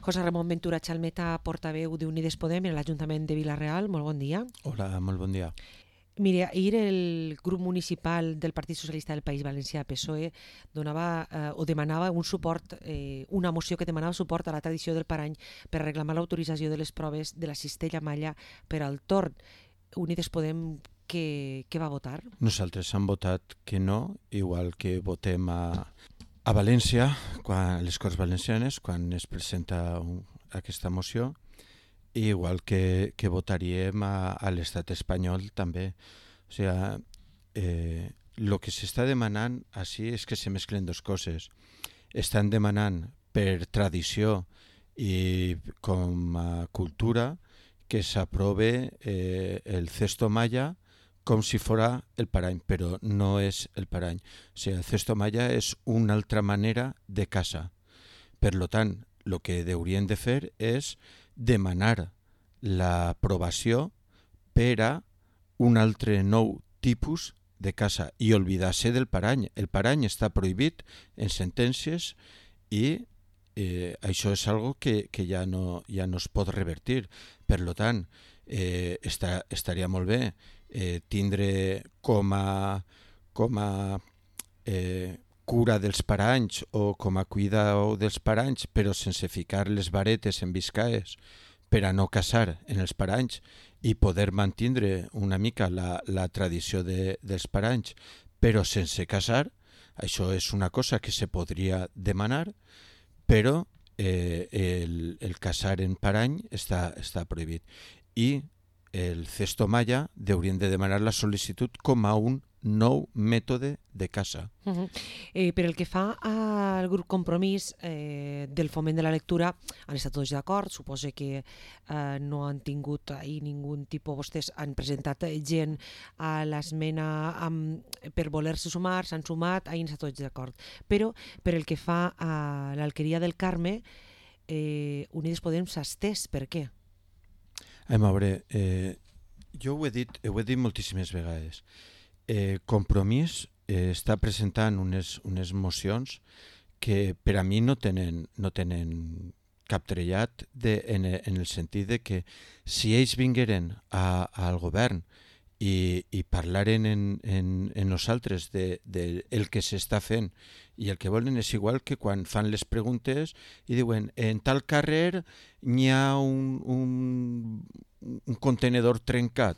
José Ramon Ventura Chalmeta, portaveu d'Unides Podem en l'Ajuntament de Vila-real. Molt bon dia. Hola, molt bon dia. Mire, ahir el grup municipal del Partit Socialista del País Valencià, PSOE, demanava un suport, una moció que demanava suport a la tradició del Parany per reclamar l'autorització de les proves de la cistella malla per al torn. Unides Podem, què va votar? Nosaltres hem votat que no, igual que votem a València, a les Corts Valencianes, quan es presenta aquesta moció, i igual que votaríem a l'estat espanyol també. O sigui, el que s'està demanant així és que se mesclen dues coses. Estan demanant per tradició i com a cultura que s'aprove el cesto malla com si fora el parany, però no és el parany. O sigui, el cesto malla és una altra manera de casa. Per tant, el que haurien de fer és demanar l'aprovació per a un altre nou tipus de casa i oblidar-se del parany. El parany està prohibit en sentències i això és algo que ja no es pot revertir. Per tant, estaria molt bé tindre com a cura dels paranys o com a cuidador dels paranys, però sense ficar les varetes en viscaes per a no casar en els paranys i poder mantindre una mica la tradició dels paranys, però sense casar. Això és una cosa que se podria demanar, però el casar en parany està prohibit. I el cesto malla haurien de demanar la sol·licitud com a un nou mètode de casa. Per el que fa al grup Compromís del foment de la lectura, han estat tots d'acord. Suposo que no han tingut ahir ningun tipus. Vostès han presentat gent a l'esmena per voler-se sumar, s'han sumat, ahir han estat tots d'acord. Però per el que fa a l'Alqueria del Carme, Unides Podem s'ha estès. Per què? A veure, jo ho he dit moltíssimes vegades. Compromís està presentant unes mocions que per a mi no tenen cap trellat en el sentit de que si ells vingueren al govern i parlaren en nosaltres del que s'està fent i el que volen és igual que quan fan les preguntes i diuen en tal carrer n'hi ha un contenedor trencat.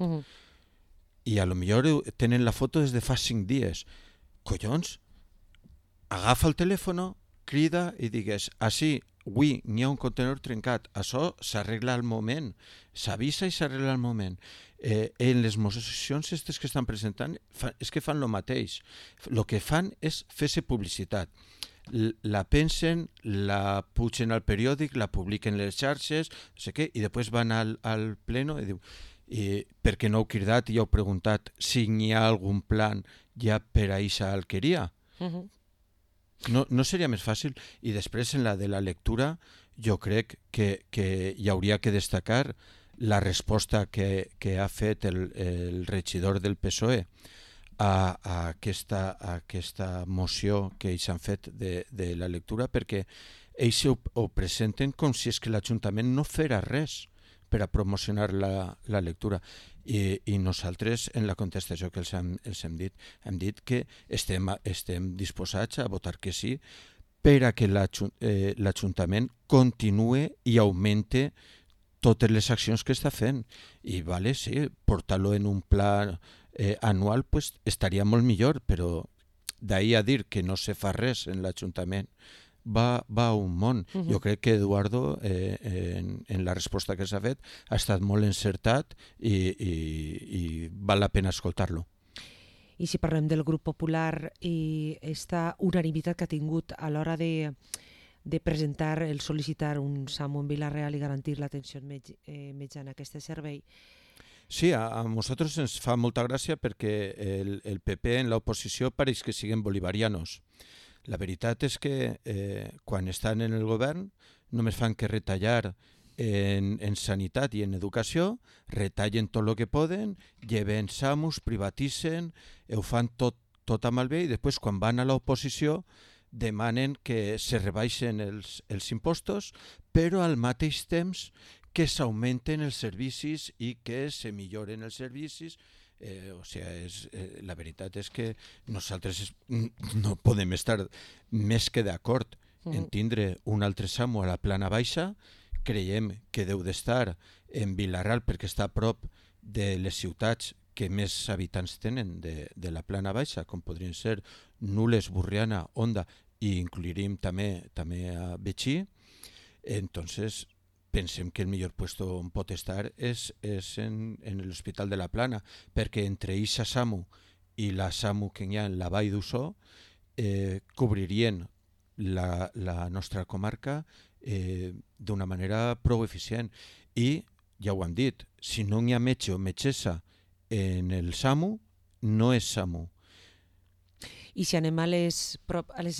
I a lo millor tenen la foto des de fa 5 dies. Collons, agafa el telèfon, crida i digues, sí, avui n'hi ha un contenedor trencat, això s'arregla al moment, s'avisa i s'arregla al moment. En les mocions aquestes que estan presentant és que fan el mateix. El que fan és fer-se publicitat. La pensen, la pugen al periòdic, la publiquen en les xarxes, no sé què, i després van al pleno i diu per què no heu cridat i heu preguntat si hi ha algun plan ja per a aquesta alqueria? No seria més fàcil? I després en la de la lectura jo crec que hi hauria que destacar la resposta que ha fet el regidor del PSOE a aquesta moció que ells han fet de la lectura, perquè ells ho presenten com si és que l'Ajuntament no farà res per a promocionar la lectura. I nosaltres, en la contestació que els hem dit, hem dit que estem disposats a votar que sí per a que l'Ajuntament continue i augmente totes les accions que està fent. I sí, portar-lo en un pla anual pues, estaria molt millor, però d'ahir a dir que no se fa res en l'Ajuntament va un món. Jo crec que Eduardo en la resposta que s'ha fet ha estat molt encertat i val la pena escoltar-lo. I si parlem del grup popular i aquesta unanimitat que ha tingut a l'hora de presentar, el sol·licitar un SAMU en Vila-real i garantir l'atenció metjana a aquest servei. Sí, a nosaltres ens fa molta gràcia perquè el PP en l'oposició pareix que siguen bolivarianos. La veritat és que quan estan en el govern només fan que retallar en sanitat i en educació, retallen tot el que poden, lleven SAMUs, privatitzen, ho fan tot a malbé i després quan van a l'oposició demanen que se rebaixen els impostos, però al mateix temps que s'augmenten els servicis i que se milloren els servicis. La veritat és que nosaltres no podem estar més que d'acord en tindre un altre SAMU a la plana baixa. Creiem que deu d'estar en Vilarral perquè està a prop de les ciutats que més habitants tenen de la plana baixa, com podrien ser Nules, Borriana, Onda, i incluiríem també a Betxí. Entonces, pensem que el millor puesto on pot estar és en l'Hospital de la Plana, perquè entre Ixa SAMU i la SAMU que hi ha en la Vall d'Ussó cobririen la nostra comarca d'una manera prou eficient. I, ja ho han dit, si no hi ha metge o metgessa en el SAMU, no és SAMU. I si anem a les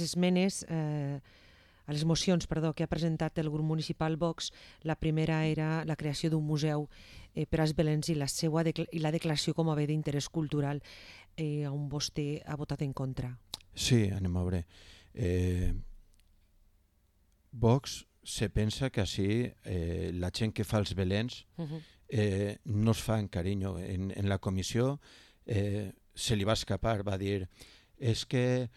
esmenes, a les mocions que ha presentat el grup municipal Vox, la primera era la creació d'un museu per als Belens i la declaració com a bé d'interès cultural, on vostè ha votat en contra. Sí, anem a veure. Vox se pensa que així la gent que fa els Belens no es fa en carinyo. En la comissió se li va escapar, va dir és que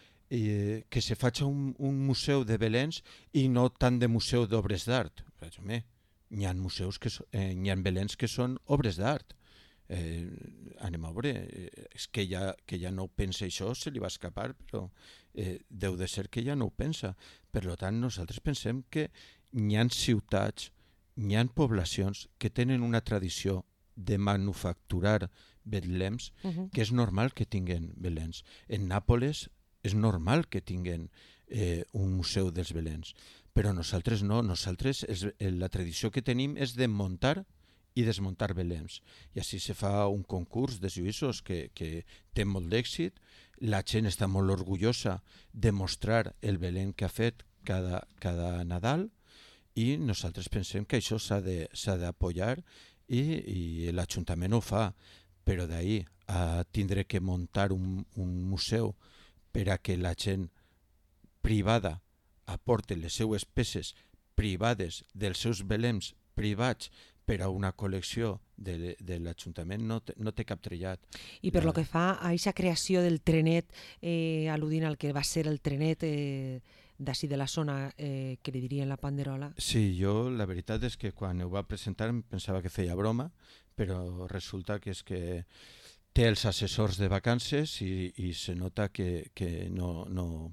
se faci un museu de Belens i no tant de museu d'obres d'art. Hi ha museus hi ha Belens que són obres d'art. Anem a veure, és que ja no ho pensa això, se li va escapar, però deu de ser que ja no ho pensa. Per tant, nosaltres pensem que hi ha ciutats, hi ha poblacions que tenen una tradició de manufacturar betlems que és normal que tinguen Belens. En Nàpoles és normal que tinguen un museu dels Belens, però nosaltres no. Nosaltres la tradició que tenim és de muntar i desmuntar Belems. I així se fa un concurs de lluïssos que té molt d'èxit. La gent està molt orgullosa de mostrar el Belén que ha fet cada Nadal, i nosaltres pensem que això s'ha d'apoyar i l'Ajuntament ho fa, però d'ahir a tindre que muntar un museu per a que la gent privada aporte les seues peces privades dels seus Belems privats per a una col·lecció de l'Ajuntament no té cap trillat. I per lo que fa a aquesta creació del trenet, al·ludint al que va ser el trenet d'ací de la zona, que li dirien la Panderola. Sí, jo la veritat és que quan ho va presentar em pensava que feia broma, però resulta que és que té els assessors de vacances i se nota que no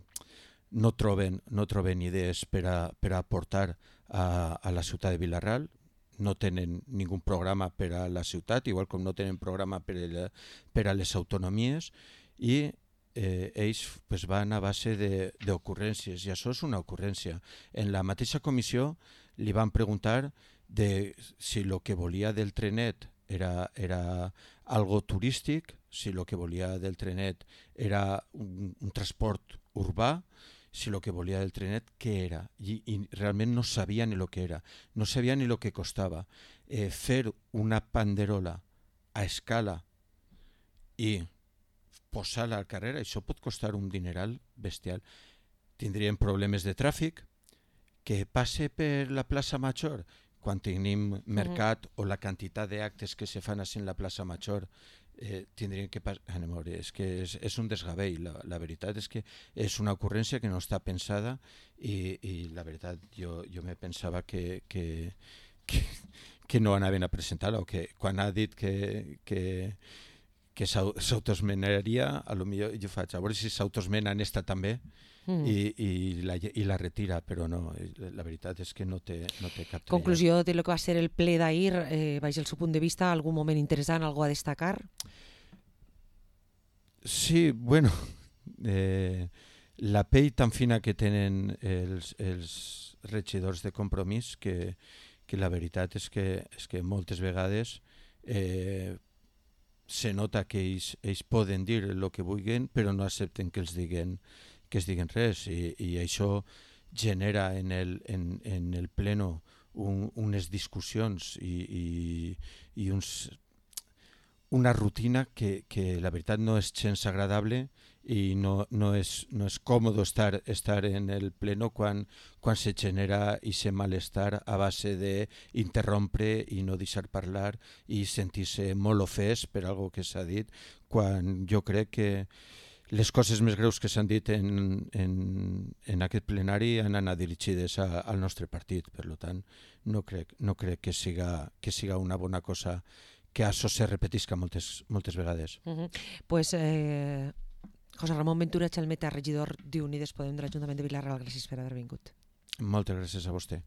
troben idees per a aportar a la ciutat de Vilarral. No tenen ningú programa per a la ciutat, igual com no tenen programa per a les autonomies, i ells van a base d'ocurrències, i això és una ocurrència. En la mateixa comissió li van preguntar si el que volia del trenet era algo turístic, si el que volia del trenet era un transport urbà, si el que volia del trenet què era, i realment no sabia ni el que era, no sabia ni el que costava. Fer una panderola a escala i posar-la al carrer, això pot costar un dineral bestial. Tindríem problemes de tràfic, que passe per la plaça Major quan tenim mercat o la quantitat d'actes que se fan en la plaça Major, tindrien que passar. És que és un desgavell. La veritat és que és una ocurrència que no està pensada, i la veritat jo me pensava que no anaven a presentar-la, o que quan ha dit que s'autoesmenaria, potser jo faig a veure si s'autoesmena en esta també i la retira, però no, la veritat és que no té cap trillat. Conclusió de lo que va ser el ple d'ahir, baix el seu punt de vista, algun moment interessant, algú a destacar? Sí, bueno, la pell tan fina que tenen els regidors de Compromís, que la veritat és que moltes vegades se nota que ells poden dir el que vulguin, però no accepten que es diguin res, i això genera en el pleno unes discussions i una rutina que la veritat no és gens agradable i no és còmode estar en el pleno quan se genera aquest malestar a base d'interrompre i no deixar parlar i sentir-se molt ofès per algo que s'ha dit, quan jo crec que les coses més greus que s'han dit en aquest plenari han anat dirigides al nostre partit. Per tant, no crec que siga una bona cosa que això se repetisca moltes vegades. Pues, José Ramon Ventura Chalmeta, regidor d'Unides Podem de l'Ajuntament de Vila-real, gràcies per haver vingut. Moltes gràcies a vostè.